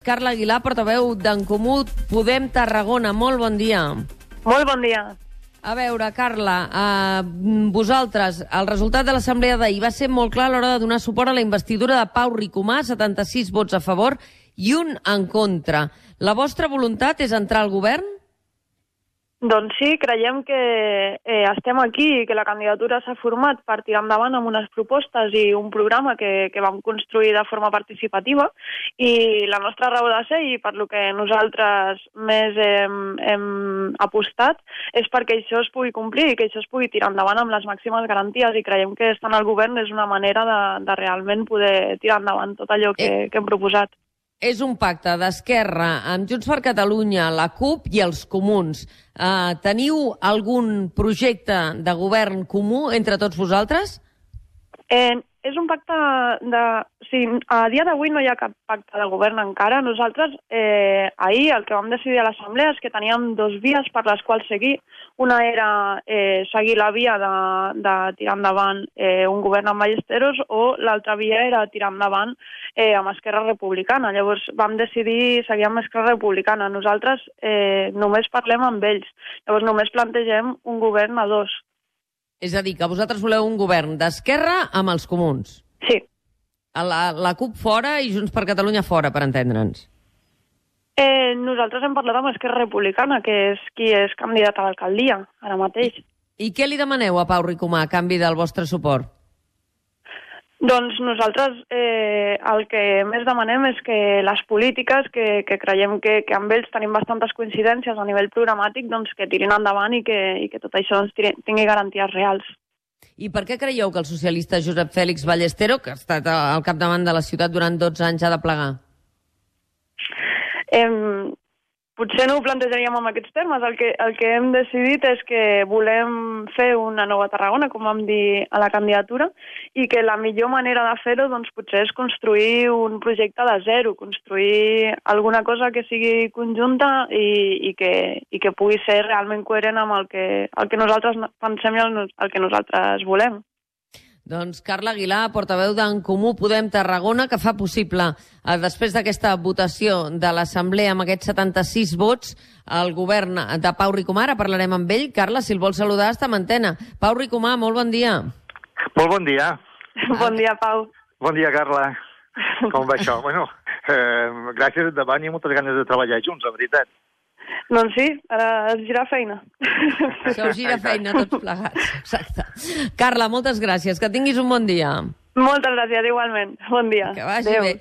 Carla Aguilar, portaveu d'en Comú Podem Tarragona. Molt bon dia. Molt bon dia. A veure, Carla, vosaltres, el resultat de l'assemblea d'ahir va ser molt clar a l'hora de donar suport a la investidura de Pau Ricomà, 76 vots a favor i un en contra. La vostra voluntat és entrar al govern? Doncs sí, creiem que estem aquí i que la candidatura s'ha format per tirar endavant amb unes propostes i un programa que vam construir de forma participativa, i la nostra raó de ser, i per lo que nosaltres més hem apostat, és perquè això es pugui complir i que això es pugui tirar endavant amb les màximes garanties, i creiem que estar al govern és una manera de realment poder tirar endavant tot allò que hem proposat. És un pacte d'Esquerra amb Junts per Catalunya, la CUP i els Comuns. Teniu algun projecte de govern comú entre tots vosaltres? És un pacte de... Sí, a dia d'avui no hi ha cap pacte de govern encara. Nosaltres ahir el que vam decidir a l'Assemblea és que teníem dues vies per les quals seguir. Una era seguir la via de tirar endavant un govern amb Ballesteros, o l'altra via era tirar endavant amb Esquerra Republicana. Llavors vam decidir seguir amb Esquerra Republicana. Nosaltres només parlem amb ells. Llavors només plantegem un govern a dos. És a dir, que vosaltres voleu un govern d'Esquerra amb els Comuns. Sí. La CUP fora i Junts per Catalunya fora, per entendre'ns. Nosaltres hem parlat amb Esquerra Republicana, que és qui és candidat a l'alcaldia ara mateix. I què li demaneu a Pau Ricomà a canvi del vostre suport? Doncs nosaltres el que més demanem és que les polítiques, que creiem que amb ells tenim bastantes coincidències a nivell programàtic, doncs que tirin endavant i que tot això tingui garanties reals. I per què creieu que el socialista Josep Fèlix Ballestero, que ha estat al capdavant de la ciutat durant 12 anys, ha de plegar? Potser no ho plantejaríem en aquests termes. El que hem decidit és que volem fer una nova Tarragona, com vam dir a la candidatura, i que la millor manera de fer-ho doncs, potser és construir un projecte de zero, construir alguna cosa que sigui conjunta i que pugui ser realment coherent amb el que nosaltres pensem i el que nosaltres volem. Doncs Carla Aguilar, portaveu d'en Comú Podem Tarragona, que fa possible, després d'aquesta votació de l'Assemblea amb aquests 76 vots, el govern de Pau Ricomà. Ara parlarem amb ell. Carla, si el vols saludar, està en antena. Pau Ricomà, molt bon dia. Molt bon dia. Bon dia, Pau. Bon dia, Carla. Com va això? Bueno, gràcies endavant i moltes ganes de treballar junts, la veritat. Doncs sí, ara es gira feina. Això us gira feina tots plegats. Exacte. Carla, moltes gràcies. Que tinguis un bon dia. Moltes gràcies, igualment. Bon dia. Que vagi bé.